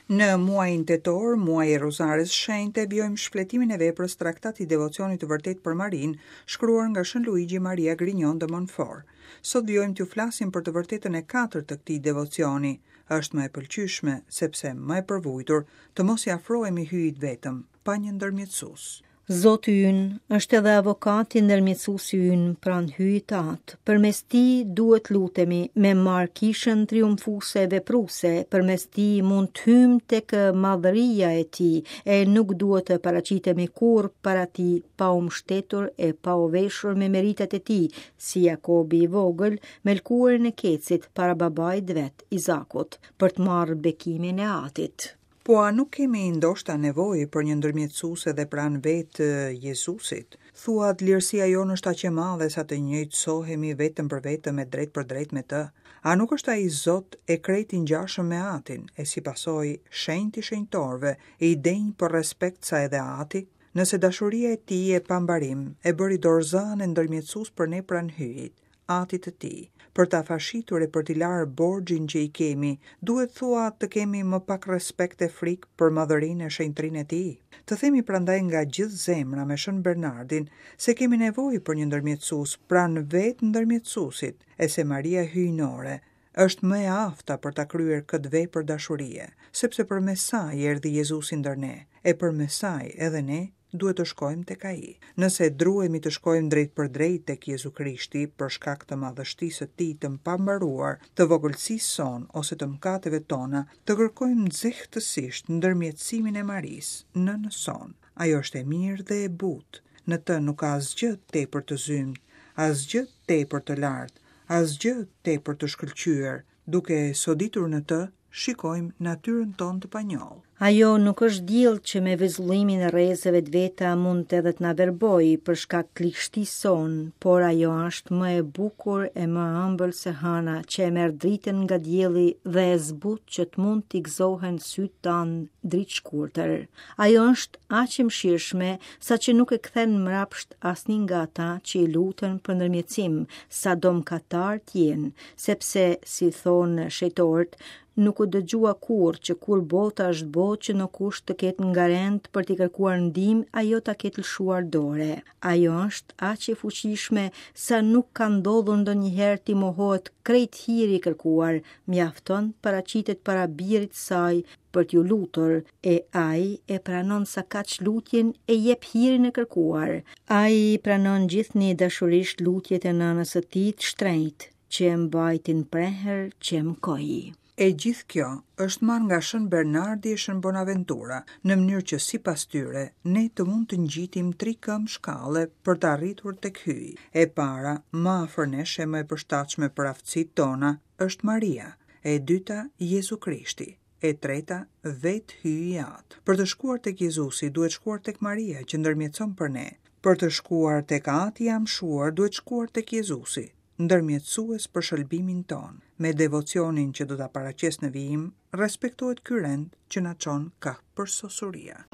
Në muajin tetor, muaji i Rozares Shenjte, vijojmë shfletimin e veprës Traktati i Devocionit të Vërtetë për Marinë, shkruar nga Shën Luigi Maria Grignion de Montfort. Sot vijojmë t'ju flasim për të vërtetën e katërt të këtij devocioni. Është më e pëlqyeshme, sepse më e përvujtur, të mos i afrohemi Hyjit vetëm, pa një ndërmjetësues. Zoti ynë është edhe avokati ndërmjetësuesi ynë pranë Hyjit Atë. Përmes tij duhet lutemi me marrë kishën triumfuese e vepruese, përmes tij mund të hyjmë tek madhëria e tij e nuk duhet të paraqitemi kurrë para tij pa u mbështetur e pa u veshur me meritat e tij, si Jakobi i vogël me lëkurën e kecit para babait vet, Izakut, për të marrë bekimin e atit. Po a nuk kemi ndoshta nevojë për një ndërmjetësues edhe pranë vetë Jezusit? Thua dlirësia jonë është aq e madhe sa të njëjtësohemi vetëm për vetëm e drejtpërdrejt me të? A nuk është ai Zot e krejt i ngjashëm me Atin, e si pasojë shenjt i shenjtorëve, e i denjë për respekt sa edhe Ati? Nëse dashuria e tij e pambarim e bëri dorëzanë e ndërmjetësues për ne pranë Hyjit, Atit të tij, për ta fashitur e për t'i larë borxhin që i kemi, duhet thua të kemi më pak respekt e frikë për madhërinë e shenjtërinë e tij? Të themi prandaj nga gjithë zemra me Shën Bernardin se kemi nevojë për një ndërmjetësues pranë vetë ndërmjetësuesit e se Maria Hyjnore është më e afta për ta kryer këtë vepër dashurie, sepse përmes saj erdhi Jezusi ndër ne, e përmes saj edhe ne duhet të shkojmë tek Ai. Nëse druhemi të shkojmë drejtpërdrejt tek Jezu Krishti për shkak të madhështisë së Tij të pambaruar, të vogëlsisë sonë ose të mëkateve tona, të kërkojmë nxehtësisht ndërmjetësimin e Marisë, nënës sonë. Ajo është e mirë dhe e butë. Në të nuk ka asgjë tepër të zymtë, asgjë tepër të lartë, asgjë tepër të shkëlqyer, Duke soditur në të, shikojmë natyrën tonë të panjollë. Ajo nuk është diell që me vezullimin e rrezeve të veta mund edhe të na verbojë për shkak të ligështisë sonë, por ajo është më e bukur e më e ëmbël se hëna që e merr dritën nga dielli dhe e zbut që të mund t'i gëzohen sytë tanë dritëshkurtër. Ajo është aq e mëshirshme saqë nuk e kthen mbrapsht asnjë nga ata që i luten për ndërmjetësim, sado mëkatarë të jenë, sepse, si thonë shenjtorët, nuk u dëgjua kurrë që kur bota është botë që ndokush të ketë ngarend për t'i kërkuar ndihmë, ajo ta ketë lëshuar dore. Ajo është aq e fuqishme sa nuk ka ndodhur ndonjëherë t'i mohohet krejt hiri i kërkuar, mjafton paraqitet para birit saj për t'iu lutur, e ai e pranon sakaq lutjen e jep hirin e kërkuar. Ai pranon gjithnjë dashurisht lutjet e nënës së tij të shtrenjtë, që e mbajti në prehër që e mëkoi. E gjithë kjo është marrë nga Shën Bernardi e Shën Bonaventura, në mënyrë që sipas tyre, ne të mund të ngjitim tri këmbë shkalle për të arritur tek Hyji. E para, më afër nesh e më e përshtatshme për aftësitë tona, është Maria, e dyta Jezu Krishti, e treta vetë Hyji Atë. Për të shkuar tek Jezusi duhet shkuar tek Maria që ndërmjetëson për ne. Për të shkuar tek Ati i amshuar duhet shkuar tek Jezusi, ndërmjetësues për shëlbimin tonë. Me devocionin që do ta paraqes në vijim, respektohet ky rend që na çon kah përsosuria.